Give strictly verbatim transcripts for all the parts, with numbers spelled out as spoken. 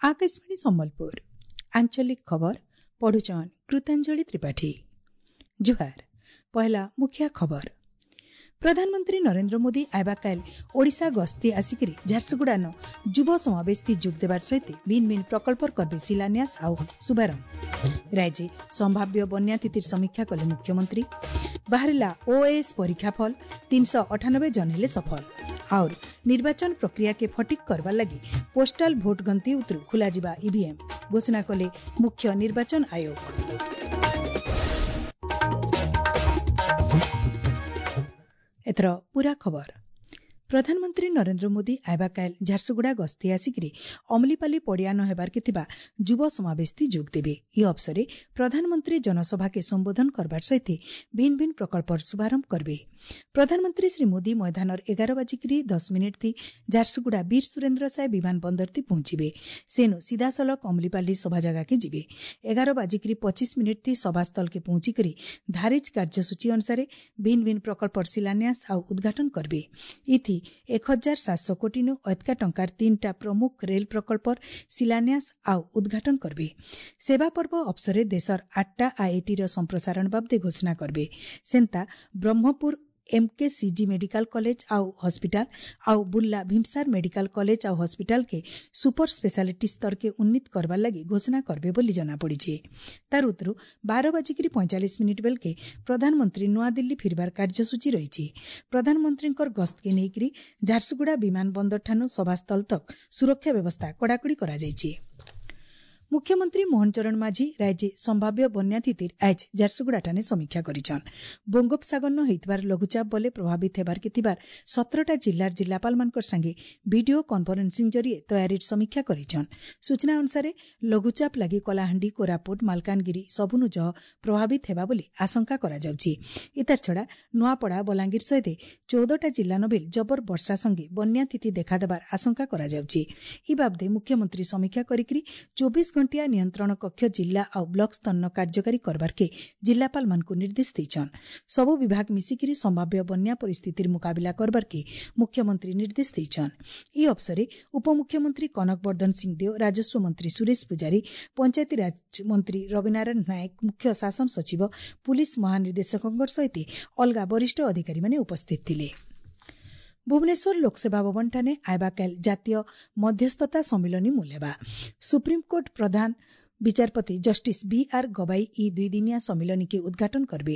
ଆକାଶବାଣୀ ସମ୍ବଲପୁର ଆଞ୍ଚଳିକ ଖବର ପଢୁଛନ୍ କୃତାଞ୍ଜଳି ତ୍ରିପାଠୀ। ଜୁହାର। ପହଲା ମୁଖିଆ ଖବର। ପ୍ରଧାନମନ୍ତ୍ରୀ ନରେନ୍ଦ୍ର ମୋଦି ଆଇବାକାଲ ଓଡ଼ିଶା ଗସ୍ତି ଆସିକରି ଝାରସୁଗୁଡ଼ାନ ଯୁବ ସମାବେଶଥି ଯୋଗ ଦେବାର ସହିତ ଭିନ୍ ଭିନ୍ ପ୍ରକଳ୍ପର କରବେ ଶିଳାନ୍ୟାସ ଆଉ ଶୁଭାରମ୍ଭ। ରାଜ୍ୟ ସମ୍ଭାବ୍ୟ ବନ୍ୟା ସ୍ଥିତିର ସମୀକ୍ଷା କଲେ ମୁଖ୍ୟମନ୍ତ୍ରୀ। ବାହାରିଲା ଓଏଏସ୍ ପରୀକ୍ଷା ଫଳ, ତିନିଶହ ଅଠାନବେ ଜନ ହେଲେ ସଫଳ। ଆଉର ନିର୍ବାଚନ ପ୍ରକ୍ରିୟାକେ ଫଟିକ୍ କରବାର ଲାଗି ପୋଷ୍ଟାଲ ଭୋଟ ଗଣତି ଉତରୁ ଖୋଲାଯିବା ଇଭିଏମ୍ ଘୋଷଣା କଲେ ମୁଖ୍ୟ ନିର୍ବାଚନ ଆୟୋଗ। ଏଥର ପୁରା ଖବର। ପ୍ରଧାନମନ୍ତ୍ରୀ ନରେନ୍ଦ୍ର ମୋଦି ଆଇବାକାଇଲ ଝାରସୁଗୁଡ଼ା ଗସ୍ତି ଆସିକରି ଅମଲିପାଲି ପଡ଼ିଆନ ହେବାର୍କେ ଥିବା ଯୁବ ସମାବେଶଥି ଯୋଗ ଦେବେ। ଇ ଅବସରେ ପ୍ରଧାନମନ୍ତ୍ରୀ ଜନସଭାକେ ସମ୍ବୋଧନ କରବାର ସହିତ ଭିନ୍ ଭିନ୍ ପ୍ରକଳ୍ପର ଶୁଭାରମ୍ଭ କରିବେ। ପ୍ରଧାନମନ୍ତ୍ରୀ ଶ୍ରୀ ମୋଦି ମଇଦାନର ଏଗାର ବାଜିକିରି ଦଶ ମିନିଟ୍ ଥି ଝାରସୁଗୁଡ଼ା ବୀର ସୁରେନ୍ଦ୍ର ସାଏ ବିମାନ ବନ୍ଦରଥି ପହଞ୍ଚିବେ। ସେନୁ ସିଧାସଳଖ ଅମଲିପାଲି ସଭା ଜାଗାକେ ଯିବେ। ଏଗାର ବାଜିକିରି ପଚିଶ ମିନିଟ୍ ଥି ସଭାସ୍ଥଳକେ ପହଞ୍ଚିକରି ଧାରିଜ କାର୍ଯ୍ୟସୂଚୀ ଅନୁସାରେ ଭିନ୍ ଭିନ୍ ପ୍ରକଳ୍ପର ଶିଳାନ୍ୟାସ ଆଉ ଉଦ୍ଘାଟନ କରିବେ। ଇଥି ଏକ ହଜାର ସାତଶହ କୋଟିନୁ ଅଧିକା ଟଙ୍କାର ତିନିଟା ପ୍ରମୁଖ ରେଲ ପ୍ରକଳ୍ପର ଶିଳାନ୍ୟାସ ଆଉ ଉଦ୍ଘାଟନ କରିବେ। ସେବା ପର୍ବ ଅବସରେ ଦେଶର ଆଠଟା ଆଇଆଇଟିର ସମ୍ପ୍ରସାରଣ ବାବଦେ ଘୋଷଣା କରିବେ। ସେନ୍ତା ବ୍ରହ୍ମପୁର ଏମ୍କେସିଜି ମେଡିକାଲ କଲେଜ ଆଉ ହସ୍ପିଟାଲ ଆଉ ବୁର୍ଲା ଭୀମସାର ମେଡିକାଲ କଲେଜ ଆଉ ହସ୍ପିଟାଲକେ ସୁପର ସ୍ପେଶାଲିଟି ସ୍ତରକେ ଉନ୍ନୀତ କରବାର ଲାଗି ଘୋଷଣା କରିବେ ବୋଲି ଜଣାପଡ଼ିଛି। ତାର ଉତ୍ତରୁ ବାର ବାଜିକିରି ପଇଁଚାଳିଶ ମିନିଟ୍ ବେଳକେ ପ୍ରଧାନମନ୍ତ୍ରୀ ନୂଆଦିଲ୍ଲୀ ଫିରବାର କାର୍ଯ୍ୟସୂଚୀ ରହିଛି। ପ୍ରଧାନମନ୍ତ୍ରୀଙ୍କର ଗସ୍ତକେ ନେଇକରି ଝାରସୁଗୁଡ଼ା ବିମାନ ବନ୍ଦରଠାନୁ ସଭାସ୍ଥଳ ତକ୍ ସୁରକ୍ଷା ବ୍ୟବସ୍ଥା କଡ଼ାକଡ଼ି କରାଯାଇଛି। ମୁଖ୍ୟମନ୍ତ୍ରୀ ମୋହନ ଚରଣ ମାଝୀ ରାଜ୍ୟ ସମ୍ଭାବ୍ୟ ବନ୍ୟା ସ୍ଥିତିର ଆଜ ଝାରସୁଗୁଡ଼ାଠାନେ ସମୀକ୍ଷା କରିଛନ୍। ବଙ୍ଗୋପସାଗରନ ହେଇଥିବାର ଲଘୁଚାପ ବଲେ ପ୍ରଭାବିତ ହେବାର୍କେ ଥିବାର ସତରଟା ଜିଲ୍ଲାର ଜିଲ୍ଲାପାଳମାନଙ୍କର ସାଙ୍ଗେ ଭିଡିଓ କନଫରେନ୍ସିଂ ଜରିଏ ତୟାରୀର ସମୀକ୍ଷା କରିଛନ୍। ସୂଚନା ଅନୁସାରେ ଲଘୁଚାପ ଲାଗି କଳାହାଣ୍ଡି, କୋରାପୁଟ, ମାଲକାନଗିରି ସବୁନୁ ଜହ ପ୍ରଭାବିତ ହେବା ବୋଲି ଆଶଙ୍କା କରାଯାଉଛି। ଇତାର ଛଡ଼ା ନୂଆପଡ଼ା, ବଲାଙ୍ଗୀର ସହିତ ଚଉଦଟା ଜିଲ୍ଲା ନବିଲ ଜବର ବର୍ଷା ସଙ୍ଗେ ବନ୍ୟା ସ୍ଥିତି ଦେଖାଦେବାର ଆଶଙ୍କା କରାଯାଉଛି। ଇ ବାବଦେ ମୁଖ୍ୟମନ୍ତ୍ରୀ ସମୀକ୍ଷା କରିକିରି ଚବିଶ ଘଣ୍ଟିଆ ନିୟନ୍ତ୍ରଣ କକ୍ଷ ଜିଲ୍ଲା ଆଉ ବ୍ଲକ ସ୍ତରନ କାର୍ଯ୍ୟକାରୀ କରବାର୍କେ ଜିଲ୍ଲାପାଳମାନଙ୍କୁ ନିର୍ଦ୍ଦେଶ ଦେଇଛନ୍। ସବୁ ବିଭାଗ ମିଶିକିରି ସମ୍ଭାବ୍ୟ ବନ୍ୟା ପରିସ୍ଥିତିର ମୁକାବିଲା କରବାର୍କେ ମୁଖ୍ୟମନ୍ତ୍ରୀ ନିର୍ଦ୍ଦେଶ ଦେଇଛନ୍। ଇ ଅବସରେ ଉପମୁଖ୍ୟମନ୍ତ୍ରୀ କନକ ବର୍ଦ୍ଧନ ସିଂଦେଓ, ରାଜସ୍ୱ ମନ୍ତ୍ରୀ ସୁରେଶ ପୂଜାରୀ, ପଞ୍ଚାୟତିରାଜ ମନ୍ତ୍ରୀ ରବିନାରାୟଣ ନାୟକ, ମୁଖ୍ୟ ଶାସନ ସଚିବ, ପୁଲିସ୍ ମହାନିର୍ଦ୍ଦେଶକଙ୍କ ସହିତ ଅଲଗା ବରିଷ୍ଠ ଅଧିକାରୀମାନେ ଉପସ୍ଥିତ ଥିଲେ। ଭୁବନେଶ୍ୱର ଲୋକସେବା ଭବନଠାନେ ଆଇବାକାଲ ଜାତୀୟ ମଧ୍ୟସ୍ଥତା ସମ୍ମିଳନୀ ମୂଲ ହେବା। ସୁପ୍ରିମକୋର୍ଟ ପ୍ରଧାନ ବିଚାରପତି ଜଷ୍ଟିସ୍ ବି ଆର୍ ଗବାଇ ଇ ଦୁଇଦିନିଆ ସମ୍ମିଳନୀକେ ଉଦ୍ଘାଟନ କରିବେ।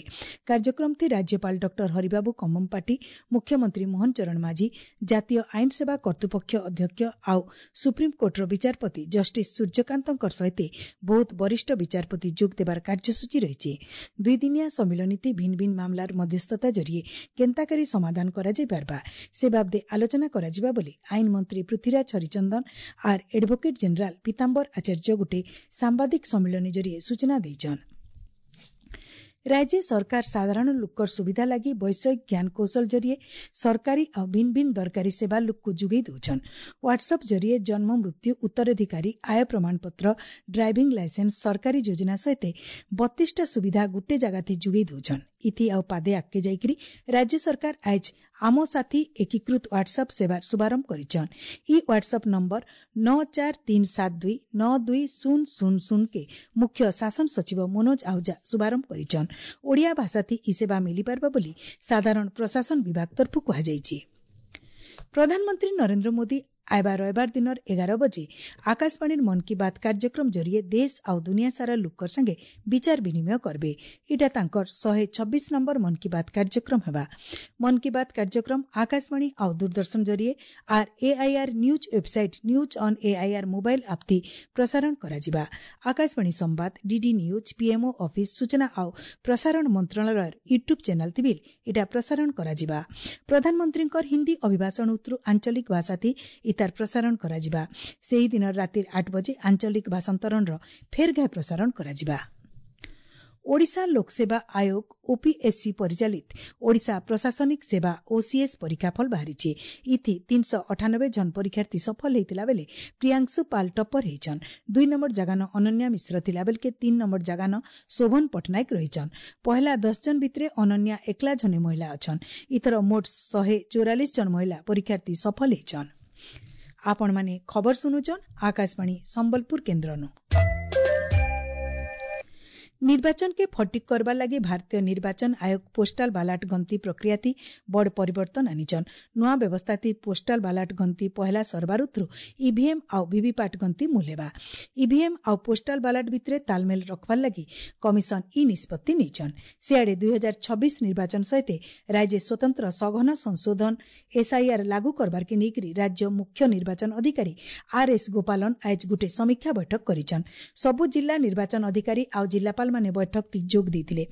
କାର୍ଯ୍ୟକ୍ରମଥି ରାଜ୍ୟପାଳ ଡକ୍ଟର ହରିବାବୁ କମ୍ମମପାଟି, ମୁଖ୍ୟମନ୍ତ୍ରୀ ମୋହନ ଚରଣ ମାଝୀ, ଜାତୀୟ ଆଇନ ସେବା କର୍ତ୍ତୃପକ୍ଷ ଅଧ୍ୟକ୍ଷ ଆଉ ସୁପ୍ରିମକୋର୍ଟର ବିଚାରପତି ଜଷ୍ଟିସ୍ ସୂର୍ଯ୍ୟକାନ୍ତଙ୍କ ସହିତ ବହୁତ ବରିଷ୍ଠ ବିଚାରପତି ଯୋଗ ଦେବାର କାର୍ଯ୍ୟସୂଚୀ ରହିଛି। ଦୁଇଦିନିଆ ସମ୍ମିଳନୀଥି ଭିନ୍ ଭିନ୍ ମାମଲାର ମଧ୍ୟସ୍ଥତା ଜରିଏ କେନ୍ତାକରି ସମାଧାନ କରାଯାଇପାରବା ସେ ବାବଦେ ଆଲୋଚନା କରାଯିବା ବୋଲି ଆଇନ ମନ୍ତ୍ରୀ ପୃଥ୍ୱୀରାଜ ହରିଚନ୍ଦନ ଆର୍ ଆଡଭୋକେଟ୍ ଜେନେରାଲ ପୀତାମ୍ବର ଆଚାର୍ଯ୍ୟ ଗୋଟେ ସାମ୍ବାଦିକ ସମ୍ମିଳନୀ ଜରିଏ ସୂଚନା ଦେଇଛନ୍। ରାଜ୍ୟ ସରକାର ସାଧାରଣ ଲୋକର ସୁବିଧା ଲାଗି ବୈଷୟିକ ଜ୍ଞାନକୌଶଳ ଜରିଏ ସରକାରୀ ଆଉ ଭିନ୍ ଭିନ୍ ଦରକାରୀ ସେବା ଲୋକକୁ ଯୋଗାଇ ଦେଉଛନ୍। ହ୍ୱାଟ୍ସଆପ୍ ଜରିଏ ଜନ୍ମ, ମୃତ୍ୟୁ, ଉତ୍ତରାଧିକାରୀ, ଆୟ ପ୍ରମାଣପତ୍ର, ଡ୍ରାଇଭିଂ ଲାଇସେନ୍ସ, ସରକାରୀ ଯୋଜନା ସହିତ ବତିଶଟା ସୁବିଧା ଗୁଟେ ଜାଗାଥି ଯୋଗାଇ ଦେଉଛନ୍। ଇଥି ଆଉ ପାଦେ ଆଗକେ ଯାଇକରି ରାଜ୍ୟ ସରକାର ଆଜ ଆମ ସାଥୀ ଏକୀକୃତ ହ୍ୱାଟ୍ସଆପ୍ ସେବାର ଶୁଭାରମ୍ଭ କରିଛନ୍। ଇ ହ୍ୱାଟ୍ସଆପ୍ ନମ୍ବର ନଅ ଚାରି ତିନି ସାତ ଦୁଇ ନଅ ଦୁଇ ଶୂନ ଶୂନ ଶୂନ କେ ମୁଖ୍ୟ ଶାସନ ସଚିବ ମନୋଜ ଆହୁଜା ଶୁଭାରମ୍ଭ କରିଛନ୍। ଓଡ଼ିଆ ଭାଷାଥି ଇ ସେବା ମିଳିପାରବା ବୋଲି ସାଧାରଣ ପ୍ରଶାସନ ବିଭାଗ ତରଫରୁ କୁହାଯାଇଛି। ପ୍ରଧାନମନ୍ତ୍ରୀ ନରେନ୍ଦ୍ର ମୋଦି ଆଇବା ରବିବାର ଦିନର ଏଗାର ବଜେ ଆକାଶବାଣୀର ମନ୍ କି ବାତ୍ କାର୍ଯ୍ୟକ୍ରମ ଜରିଏ ଦେଶ ଆଉ ଦୁନିଆ ସାରା ଲୋକର ସାଙ୍ଗେ ବିଚାର ବିନିମୟ କରିବେ। ଏଇଟା ତାଙ୍କର ଶହେ ଛବିଶ ନମ୍ବର ମନ୍ କି ବାତ୍ କାର୍ଯ୍ୟକ୍ରମ ହେବା। ମନ୍ କି ବାତ୍ କାର୍ଯ୍ୟକ୍ରମ ଆକାଶବାଣୀ ଆଉ ଦୂରଦର୍ଶନ ଜରିଏ ଆର୍ AIR news website news on AIR mobile ଆପ୍ତି ପ୍ରସାରଣ କରାଯିବା। ଆକାଶବାଣୀ ସମ୍ବାଦ, ଡିଡି ନ୍ୟୁଜ୍, ପିଏମ୍ଓ ଅଫିସ୍, ସୂଚନା ଆଉ ପ୍ରସାରଣ ମନ୍ତ୍ରଣାଳୟର ୟୁଟ୍ୟୁବ୍ ଚ୍ୟାନେଲ୍ ଥିବି ଏଇଟା ପ୍ରସାରଣ କରାଯିବା। ପ୍ରଧାନମନ୍ତ୍ରୀଙ୍କର ହିନ୍ଦୀ ଅଭିଭାଷଣ ଉତ୍ତରୁ ଆଞ୍ଚଳିକ ଭାଷାଥି ଇତାର ପ୍ରସାରଣ କରାଯିବା। ସେହିଦିନ ରାତି ଆଠ ବଜେ ଆଞ୍ଚଳିକ ଭାଷାନ୍ତରଣର ଫେର୍ ଘାଏ ପ୍ରସାରଣ କରାଯିବା। ଓଡ଼ିଶା ଲୋକସେବା ଆୟୋଗ ଓପିଏସ୍ସି ପରିଚାଳିତ ଓଡ଼ିଶା ପ୍ରଶାସନିକ ସେବା ଓସିଏସ୍ ପରୀକ୍ଷାଫଳ ବାହାରିଛି। ଇଥି ତିନିଶହ ଅଠାନବେ ଜଣ ପରୀକ୍ଷାର୍ଥୀ ସଫଳ ହେଇଥିଲା ବେଲେ ପ୍ରିୟାଂଶୁ ପାଲ ଟପ୍ପର ହେଇଛନ୍। ଦୁଇ ନମ୍ବର ଜାଗାନ ଅନନ୍ୟା ମିଶ୍ର ଥିଲା ବେଲକେ ତିନ୍ ନମ୍ବର ଜାଗାନ ଶୋଭନ ପଟ୍ଟନାୟକ ରହିଛନ୍। ପହଲା ଦଶ ଜଣ ଭିତରେ ଅନନ୍ୟା ଏକଲା ଜଣେ ମହିଳା ଅଛନ୍। ଇଥର ମୋଟ ଶହେ ଚଉରାଳିଶ ଜଣ ମହିଳା ପରୀକ୍ଷାର୍ଥୀ ସଫଳ ହେଇଛନ୍। ଆପଣମାନେ ଖବର ଶୁଣୁଛନ୍ ଆକାଶବାଣୀ ସମ୍ବଲପୁର କେନ୍ଦ୍ରନୁ। ନିର୍ବାଚନକେ ଫଟିକ୍ କରବାର୍ ଲାଗି ଭାରତୀୟ ନିର୍ବାଚନ ଆୟୋଗ ପୋଷ୍ଟାଲ ବାଲାଟ ଗଣତି ପ୍ରକ୍ରିୟାତି ବଡ଼ ପରିବର୍ତ୍ତନ ଆନିଛନ୍। ନୂଆ ବ୍ୟବସ୍ଥାତି ପୋଷ୍ଟାଲ ବାଲାଟ ଗଣତି ପହେଲା ସରବାରୁଥରୁ ଇଭିଏମ୍ ଆଉ ଭିଭିପାଟ୍ ଗଣତି ମୂଲ ହେବା। ଇଭିଏମ୍ ଆଉ ପୋଷ୍ଟାଲ ବାଲାଟ ଭିତରେ ତାଲମେଲ ରଖବାର୍ ଲାଗି କମିଶନ ଇ ନିଷ୍ପତ୍ତି ନେଇଛନ୍। ସିଆଡ଼େ ଦୁଇ ହଜାର ଛବିଶ ନିର୍ବାଚନ ସହିତ ରାଜ୍ୟ ସ୍ୱତନ୍ତ୍ର ସଘନ ସଂଶୋଧନ ଏସ୍ଆଇଆର୍ ଲାଗୁ କରବାର୍କେ ନେଇକରି ରାଜ୍ୟ ମୁଖ୍ୟ ନିର୍ବାଚନ ଅଧିକାରୀ ଆର୍ ଏସ୍ ଗୋପାଲନ ଆଜ ଗୁଟେ ସମୀକ୍ଷା ବୈଠକ କରିଛନ୍। ସବୁ ଜିଲ୍ଲା ନିର୍ବାଚନ ଅଧିକାରୀ ଆଉ ଜିଲ୍ଲାପାଳ ମାନେ ବୈଠକ ଥି ଯୋଗ ଦେଇଥିଲେ।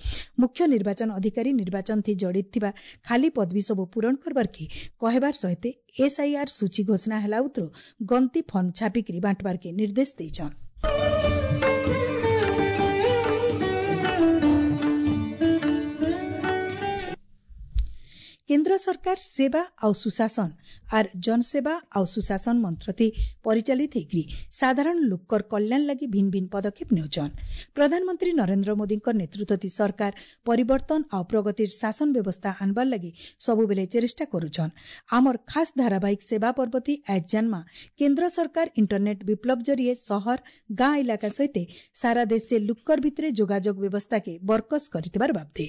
ମୁଖ୍ୟ ନିର୍ବାଚନ ଅଧିକାରୀ ନିର୍ବାଚନ ଥି ଜଡ଼ିତ ଥିବା ଖାଲି ପଦବୀ ସବୁ ପୂରଣ କରବାର୍କେ କହିବାର ସହିତ ଏସ୍ଆଇଆର୍ ସୂଚୀ ଘୋଷଣା ହେଲା ଉତରୁ ଗଣତି ଫର୍ମ ଛାପିକିରି ବାଣ୍ଟବାର୍କେ ନିର୍ଦ୍ଦେଶ ଦେଇଛନ୍। କେନ୍ଦ୍ର ସରକାର ସେବା ଆଉ ସୁଶାସନ ଆର୍ ଜନସେବା ଆଉ ସୁଶାସନ ମନ୍ତ୍ରତି ପରିଚାଳିତ ହେଇକରି ସାଧାରଣ ଲୋକର କଲ୍ୟାଣ ଲାଗି ଭିନ୍ନ ଭିନ୍ନ ପଦକ୍ଷେପ ନେଉଛନ୍। ପ୍ରଧାନମନ୍ତ୍ରୀ ନରେନ୍ଦ୍ର ମୋଦୀଙ୍କ ନେତୃତ୍ୱ ସରକାର ପରିବର୍ତ୍ତନ ଆଉ ପ୍ରଗତିର ଶାସନ ବ୍ୟବସ୍ଥା ଆନବାର ଲାଗି ସବୁବେଲେ ଚେଷ୍ଟା କରୁଛନ୍। ଆମର ଖାସ୍ ଧାରାବାହିକ ସେବା ପର୍ବତି ଆଜ ଜାନ୍ମା କେନ୍ଦ୍ର ସରକାର ଇଣ୍ଟରନେଟ୍ ବିପ୍ଳବ ଜରିଏ ସହର ଗାଁ ଇଲାକା ସହିତ ସାରା ଦେଶେ ଲୁକର ଭିତରେ ଯୋଗାଯୋଗ ବ୍ୟବସ୍ଥାକେ ବରକସ କରିଥିବାର ବାବଦେ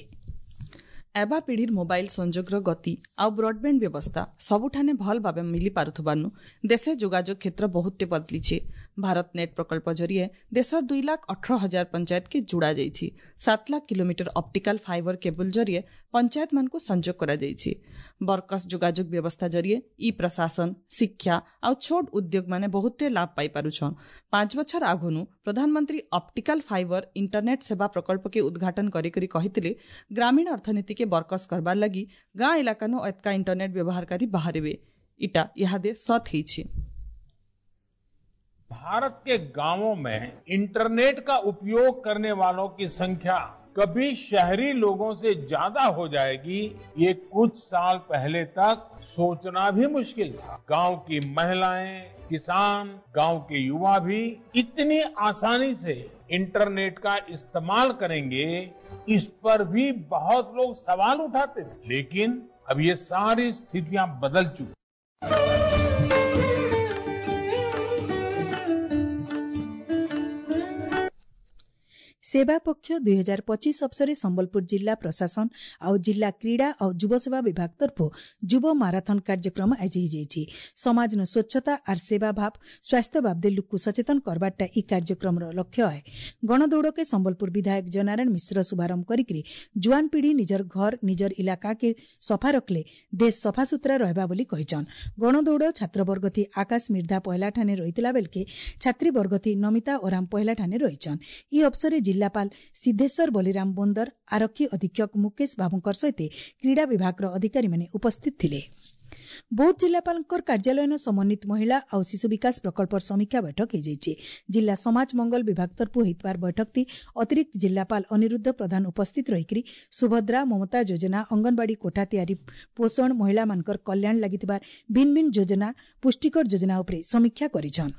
ଏବା ପିଢ଼ିର ମୋବାଇଲ ସଂଯୋଗର ଗତି ଆଉ ବ୍ରଡବ୍ୟାଣ୍ଡ ବ୍ୟବସ୍ଥା ସବୁଠାନେ ଭଲ ଭାବେ ମିଳିପାରୁଥିବାରୁ ଦେଶେ ଯୋଗାଯୋଗ କ୍ଷେତ୍ର ବହୁତଟେ ବଦଲିଛି। ଭାରତ ନେଟ୍ ପ୍ରକଳ୍ପ ଜରିଏ ଦେଶର ଦୁଇ ଲାଖ ଅଠର ହଜାର ପଞ୍ଚାୟତକେ ଯୋଡ଼ା ଯାଇଛି। ସାତ lakh kilometre optical fibre cable ଜରିଏ ପଞ୍ଚାୟତମାନଙ୍କୁ ସଂଯୋଗ କରାଯାଇଛି। ବରକସ ଯୋଗାଯୋଗ ବ୍ୟବସ୍ଥା ଜରିଏ ଇ ପ୍ରଶାସନ, ଶିକ୍ଷା ଆଉ ଛୋଟ ଉଦ୍ୟୋଗମାନେ ବହୁତଟେ ଲାଭ ପାଇପାରୁଛନ୍। ପାଞ୍ଚ ବଛର ଆଗନୁ ପ୍ରଧାନମନ୍ତ୍ରୀ ଅପ୍ଟିକାଲ ଫାଇବର ଇଣ୍ଟରନେଟ୍ ସେବା ପ୍ରକଳ୍ପକେ ଉଦ୍ଘାଟନ କରିକରି କହିଥିଲେ, ଗ୍ରାମୀଣ ଅର୍ଥନୀତିକେ ବରକସ କରବାର ଲାଗି ଗାଁ ଇଲାକାନୁ ଏତକା ଇଣ୍ଟରନେଟ୍ ବ୍ୟବହାରକାରୀ ବାହାରିବେ। ଇଟା ଇହାଦେ ସତ୍ ହେଇଛି। भारत के गांवों में इंटरनेट का उपयोग करने वालों की संख्या कभी शहरी लोगों से ज्यादा हो जाएगी, ये कुछ साल पहले तक सोचना भी मुश्किल था। गांव की महिलाएं, किसान, गांव के युवा भी इतनी आसानी से इंटरनेट का इस्तेमाल करेंगे, इस पर भी बहुत लोग सवाल उठाते थे। लेकिन अब ये सारी स्थितियां बदल चुकी। ସେବା ପକ୍ଷ ଦୁଇ ହଜାର ପଚିଶ ଅବସରରେ ସମ୍ବଲପୁର ଜିଲ୍ଲା ପ୍ରଶାସନ ଆଉ ଜିଲ୍ଲା କ୍ରୀଡ଼ା ଆଉ ଯୁବସେବା ବିଭାଗ ତରଫରୁ ଯୁବ ମାରାଥନ କାର୍ଯ୍ୟକ୍ରମ ଆଜି ହେଇଯାଇଛି। ସମାଜନ ସ୍ୱଚ୍ଛତା ଆର୍ ସେବା ଭାବ ସ୍ୱାସ୍ଥ୍ୟ ବାବଦେ ଲୁକୁ ସଚେତନ କରବାରଟା ଇ କାର୍ଯ୍ୟକ୍ରମର ଲକ୍ଷ୍ୟ ଆଏ। ଗଣଦୌଡ଼କେ ସମ୍ବଲପୁର ବିଧାୟକ ଜୟନାରାୟଣ ମିଶ୍ର ଶୁଭାରମ୍ଭ କରିକି ଜୁଆନ ପିଢ଼ି ନିଜର ଘର ନିଜର ଇଲାକାକେ ସଫା ରଖଲେ ଦେଶ ସଫାସୁତୁରା ରହିବା ବୋଲି କହିଛନ୍। ଗଣଦୌଡ଼ ଛାତ୍ରବର୍ଗ ଥି ଆକାଶ ମିର୍ଦ୍ଧା ପହିଲା ଠାନେ ରହିଥିଲା ବେଲକେ ଛାତ୍ରୀବର୍ଗ ଥି ନମିତା ଓରାମ ପହିଲା ଠାନେ ରହିଛନ୍। ଇ ଅବସରରେ ଜିଲ୍ଲାପାଳ ସିଦ୍ଧେଶ୍ୱର ବଲିରାମ ବୋନ୍ଦର, ଆରକ୍ଷୀ ଅଧୀକ୍ଷକ ମୁକେଶ ବାବୁଙ୍କର ସହିତ କ୍ରୀଡ଼ା ବିଭାଗର ଅଧିକାରୀମାନେ ଉପସ୍ଥିତ ଥିଲେ। ବୌଦ୍ଧ ଜିଲ୍ଲାପାଳଙ୍କର କାର୍ଯ୍ୟାଳୟନ ସମନ୍ୱିତ ମହିଳା ଆଉ ଶିଶୁ ବିକାଶ ପ୍ରକଳ୍ପର ସମୀକ୍ଷା ବୈଠକ ହୋଇଯାଇଛି। ଜିଲ୍ଲା ସମାଜ ମଙ୍ଗଳ ବିଭାଗ ତରଫରୁ ହୋଇଥିବାର ବୈଠକଟି ଅତିରିକ୍ତ ଜିଲ୍ଲାପାଳ ଅନିରୁଦ୍ଧ ପ୍ରଧାନ ଉପସ୍ଥିତ ରହିକରି ସୁଭଦ୍ରା, ମମତା ଯୋଜନା, ଅଙ୍ଗନବାଡ଼ି କୋଠା ତିଆରି, ପୋଷଣ, ମହିଳାମାନଙ୍କର କଲ୍ୟାଣ ଲାଗିଥିବା ଭିନ୍ନ ଭିନ୍ନ ଯୋଜନା, ପୁଷ୍ଟିକର ଯୋଜନା ଉପରେ ସମୀକ୍ଷା କରିଛନ୍।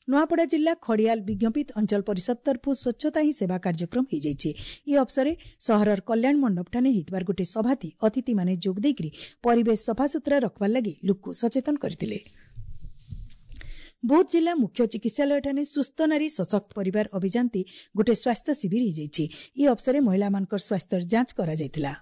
ନୂଆପଡ଼ା ଜିଲ୍ଲା ଖଡ଼ିଆଲ ବିଜ୍ଞପିତ ଅଞ୍ଚଳ ପରିଷଦ ତରଫରୁ ସ୍ୱଚ୍ଛତା ହିଁ ସେବା କାର୍ଯ୍ୟକ୍ରମ ହୋଇଯାଇଛି। ଏ ଅବସରରେ ସହରର କଲ୍ୟାଣ ମଣ୍ଡପଠାନେ ହେଇଥିବାର ଗୋଟିଏ ସଭାତି ଅତିଥିମାନେ ଯୋଗ ଦେଇକରି ପରିବେଶ ସଫାସୁତୁରା ରଖବାର ଲାଗି ଲୋକକୁ ସଚେତନ କରିଥିଲେ। ବୌଦ୍ଧ ଜିଲ୍ଲା ମୁଖ୍ୟ ଚିକିତ୍ସାଳୟଠାନେ ସୁସ୍ଥ ନାରୀ ସଶକ୍ତ ପରିବାର ଅଭିଯାନତି ଗୋଟିଏ ସ୍ୱାସ୍ଥ୍ୟ ଶିବିର ହୋଇଯାଇଛି। ଏ ଅବସରରେ ମହିଳାମାନଙ୍କର ସ୍ୱାସ୍ଥ୍ୟର ଯାଞ୍ଚ କରାଯାଇଥିଲା।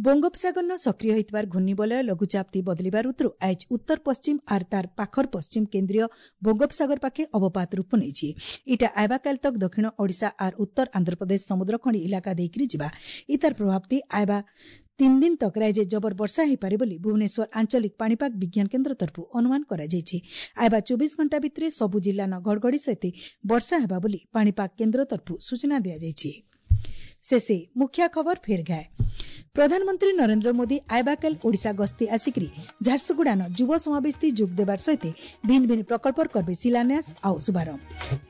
ବଙ୍ଗୋପସାଗରନ ସକ୍ରିୟ ହୋଇଥିବାର ଘୂର୍ଣ୍ଣିବଳୟ ଲଘୁଚାପତି ବଦଳିବାର ଉତ୍ତରୁ ଆଜ ଉତ୍ତର ପଶ୍ଚିମ ଆର୍ ତାର ପାଖର ପଶ୍ଚିମ କେନ୍ଦ୍ରୀୟ ବଙ୍ଗୋପସାଗର ପାଖେ ଅବପାତ ରୂପ ନେଇଛି। ଇଟା ଆଇବାକାଲ ତକ ଦକ୍ଷିଣ ଓଡ଼ିଶା ଆର୍ ଉତ୍ତର ଆନ୍ଧ୍ରପ୍ରଦେଶ ସମୁଦ୍ରଖଣ୍ଡ ଇଲାକା ଦେଇକରି ଯିବା। ଇତାର ପ୍ରଭାବତି ଆଇବା ତିନି ଦିନ ତକ ରାଜ୍ୟ ଜବର ବର୍ଷା ହୋଇପାରେ ବୋଲି ଭୁବନେଶ୍ୱର ଆଞ୍ଚଳିକ ପାଣିପାଗ ବିଜ୍ଞାନ କେନ୍ଦ୍ର ତରଫରୁ ଅନୁମାନ କରାଯାଇଛି। ଆଇବା ଚବିଶ ଘଣ୍ଟା ଭିତରେ ସବୁ ଜିଲ୍ଲାନ ଘଡ଼ଘଡ଼ି ସହିତ ବର୍ଷା ହେବା ବୋଲି ପାଣିପାଗ କେନ୍ଦ୍ର ତରଫରୁ ସୂଚନା ଦିଆଯାଇଛି। ଶେଷେ ମୁଖ୍ୟ ଖବର ଫେର ଗାଏ। ପ୍ରଧାନମନ୍ତ୍ରୀ ନରେନ୍ଦ୍ର ମୋଦି ଆଇବାକାଲ ଓଡ଼ିଶା ଗସ୍ତି ଆସିକରି ଝାରସୁଗୁଡ଼ାନ ଯୁବ ସମାବେଶଥି ଯୋଗ ଦେବାର ସହିତ ଭିନ୍ନ ଭିନ୍ନ ପ୍ରକଳ୍ପର କରବେ ଶିଳାନ୍ୟାସ ଆଉ ଶୁଭାରମ୍ଭ।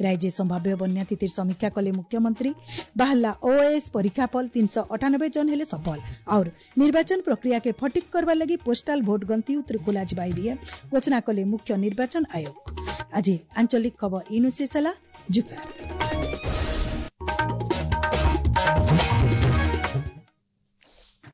ରାଜ୍ୟ ସମ୍ଭାବ୍ୟ ବନ୍ୟା ସ୍ଥିତିର ସମୀକ୍ଷା କଲେ ମୁଖ୍ୟମନ୍ତ୍ରୀ। ବାହାରିଲା ଓଏଏସ୍ ପରୀକ୍ଷା ଫଳ, ତିନିଶହ ଅଠାନବେ ଜଣ ହେଲେ ସଫଳ। और ନିର୍ବାଚନ ପ୍ରକ୍ରିୟାକେ ଫଟିକ୍ କରବାର ଲାଗି ପୋଷ୍ଟାଲ ଭୋଟ ଗଣତି ଉତରେ ଖୋଲାଯିବା ଇଭିଏମ୍ ଘୋଷଣା କଲେ ମୁଖ୍ୟ ନିର୍ବାଚନ ଆୟୋଗ। ଆଜି ଆଞ୍ଚଳିକ ଖବର ଇନୁ ଶେଷ ହେଲା। ଜୁହାର।